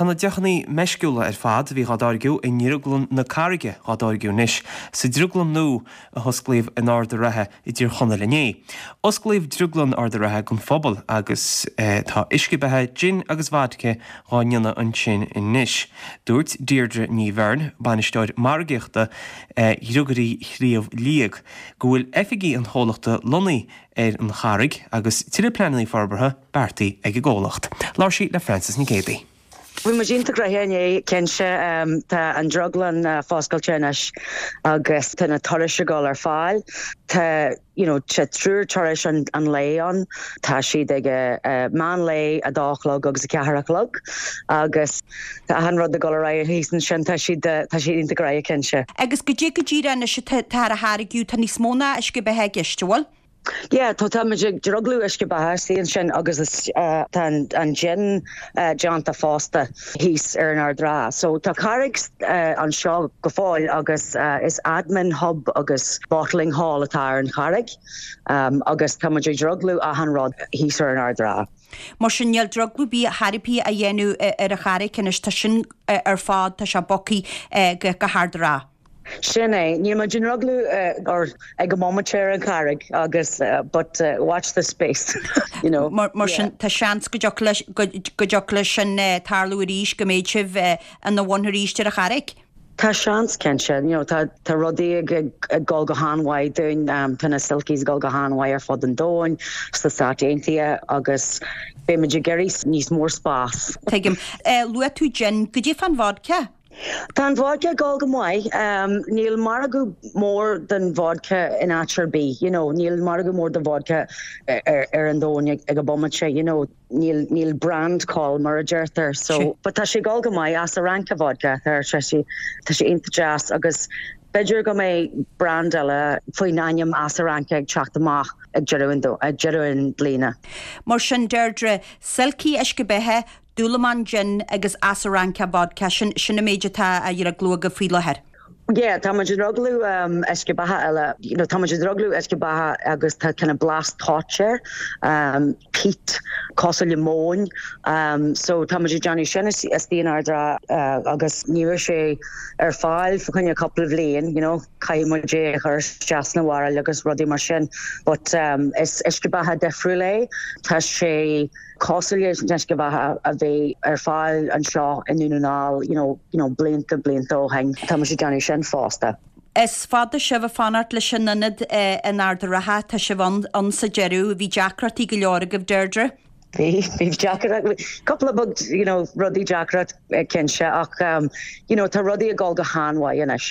Tá na deochanna meisciúla ar fad a bhí dhá dtáirgeadh i nDrioglann na Carraige dhá dtáirgeadh anois sa drioglann nua a hosclaíodh in Ard a' Rátha i dTír Chonaill inné. Osclaíodh Drioglann Ard a' Rátha don phobal agus tá uisce beatha, jin agus vodka dhá ndéanamh ansin anois. Dúirt Deirdre Ní Bheirn, bainisteoir margaíochta Dhriogairí Shliabh Liag, go bhfuil oifigí an chomhlachta lonnaithe ar an Charraig agus tuilleadh pleananna forbartha beartaithe ag an gcomhlacht. Labhair sí le Frances Nic Géadaigh. Bhí muid iontach gnoitheach inné, cinnte. Tá an drioglann foscailte anois agus tá na turais ag dul ar fáil. Tá you know tá triúr turais an lae ann. Tá siad ag meán lae, a dó a chlog agus a ceathair a chlog agus tá achan rud ag dul ar aghaidh thíos ansin. Tá siad tá siad iontach gnoitheach, cinnte. Agus goidé go díreach anois atá á tháirgeadh, tá níos mó ná uisce beatha i gceist, an bhfuil? Yeah, tá tá muid ag drioglú uisce beatha istigh ansin agus is tá an jin déanta fosta thíos ar an Ard Ráth. So tá carraig anseo go fóill agus is admin hub agus bottling hall atá ar an charraig agus tá muid ag drioglú achan rud thíos ar an Ard Ráth. Mar sin níl drioglú ar bith chor ar bith á dhéanamh ar an charraig anois, tá sin ar fad, tá sé bogtha go hArd an Rátha. Sin é. Níl muid ag drioglú ar ag an mbomaite ar an Charraig agus but watch this space, you know. Mar sin tá seans go dtiocfadh leis, go dtiocfadh leis sin tarlú arís, go mbeidh sibh ina bhun arís ar an Charraig. Tá seans, cinnte. You know, tá tá rudaí ag ag dul go han-mhaith dúinn. Tá na Silkies ag dul go han-mhaith ar fud an domhain, sna Stáit Aontaithe agus beidh muid ag iarraidh níos mór spás. Tuigim. Luaigh tú gin. Goidé fán vodka? Tá an vodka ag dul go maith. Níl margadh mór don vodka in áit ar bith, you know, níl margadh mór do vodka ar an domhan ag an bomaite, you know, níl, níl brand call mar a deirtear. So, but tá sé ag dul go maith Asaranca vodka, tá sé, tá sé iontach deas agus b'fhéidir go mbeidh brand eile faoin ainm Asaranca ag teacht amach ag deireadh an, ag deireadh an bliana. Mar sin, Deirdre, Silky uisce beatha, Dúlamán Gin agus Asaranca Vodka, sin sin an méid atá á dhrioglú agaibh faoi láthair. Yeah, tá muid ag drioglú uisce beatha eile, you know, tá muid ag drioglú uisce beatha agus tá kind of blas toit air, peat, cosúil le móin, so tá muid ag déanamh sin istigh in Ard an Rátha agus ní raibh sé ar fáil fá choinne cúpla bhliain, you know, caithfidh muid é a chur isteach sna bhairille agus rudaí mar sin, but is uisce beatha difriúil é, tá sé. cosúil leis an uisce beatha a bhí ar fáil anseo i nDún na nGall you know, you know, blianta, blianta ó shin. Tá muid ag déanamh sin fosta. Is fada sibh ag fanacht leis an ionad in Ard an Rátha, tá sibh ann, ann sa deireadh. Bhí deacrachtaí go leor agaibh, Deirdre? Bhí, bhí deacracht, cúpla beag, you know, rudaí deacra cinnte ach you know, tá rudaí ag dul go han-mhaith anois.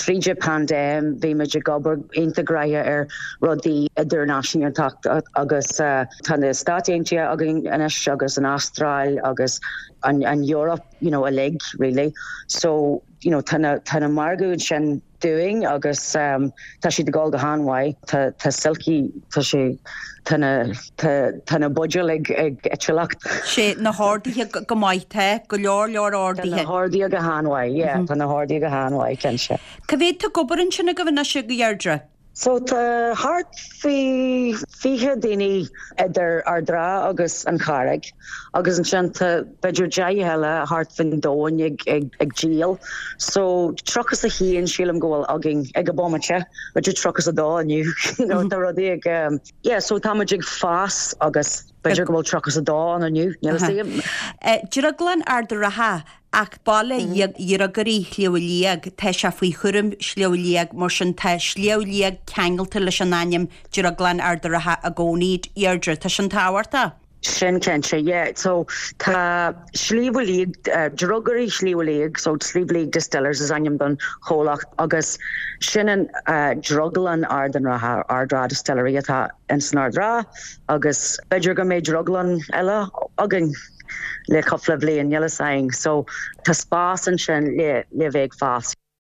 Tríd an paindéim bhí muid ag obair iontach gnoitheach ar rudaí idirnáisiúnta agus tá na Stáit Aontaithe againn anois agus an Astráil agus an Eoraip you know, uilig really. So you know, tá na, tá na margadh ansin dúinn agus tá siad ag dul go han-mhaith. Tá, tá Silky, tá sé, tá na, tá, tá na buidéil ag, ag eitileacht. Sé na horduithe go maith, tá go leor leor orduithe. Tá na horduithe go han-mhaith, yeah, tá na horduithe go han-mhaith, cinnte. Cá mhéad tá ag obair ansin agaibh anois, a Dheirdre? So tá thart faoi 20 daoine idir Ard an Rátha agus an Charraig agus ansin tá b'fhéidir 10 eile thart faoin domhan ag, ag, ag díol. So 31 sílim go bhfuil againn ag an bomaite, b'fhéidir 32 inniu, you know, tá rudaí ag, um, yeah, so tá muid ag fás agus b'fhéidir go bhfuil 32 ann inniu, níl a fhios agam. Drioglann Ard an Rátha, Ach baile Dhriogairí Shliabh Liag, tá sé faoi chúram Shliabh Liag, mar sin tá Sliabh Liag ceangailte leis an ainm Drioglann Ard an Rátha i gcónaí. Deirdre, tá sin tábhachtach? Sin cinnte, yeah. So tá Sliabh Liag, Driogairí Shliabh Liag, so Sliabh Liag Distillers is ainm don chomhlacht agus sin an Drioglann Ard an Rátha, Ardara Distillery atá ins an Ard Ráth agus b'fhéidir go mbeidh drioglann eile againn. le cúpla bliain, níl a fhios againn. So tá spás ansin le le bheith ag fás.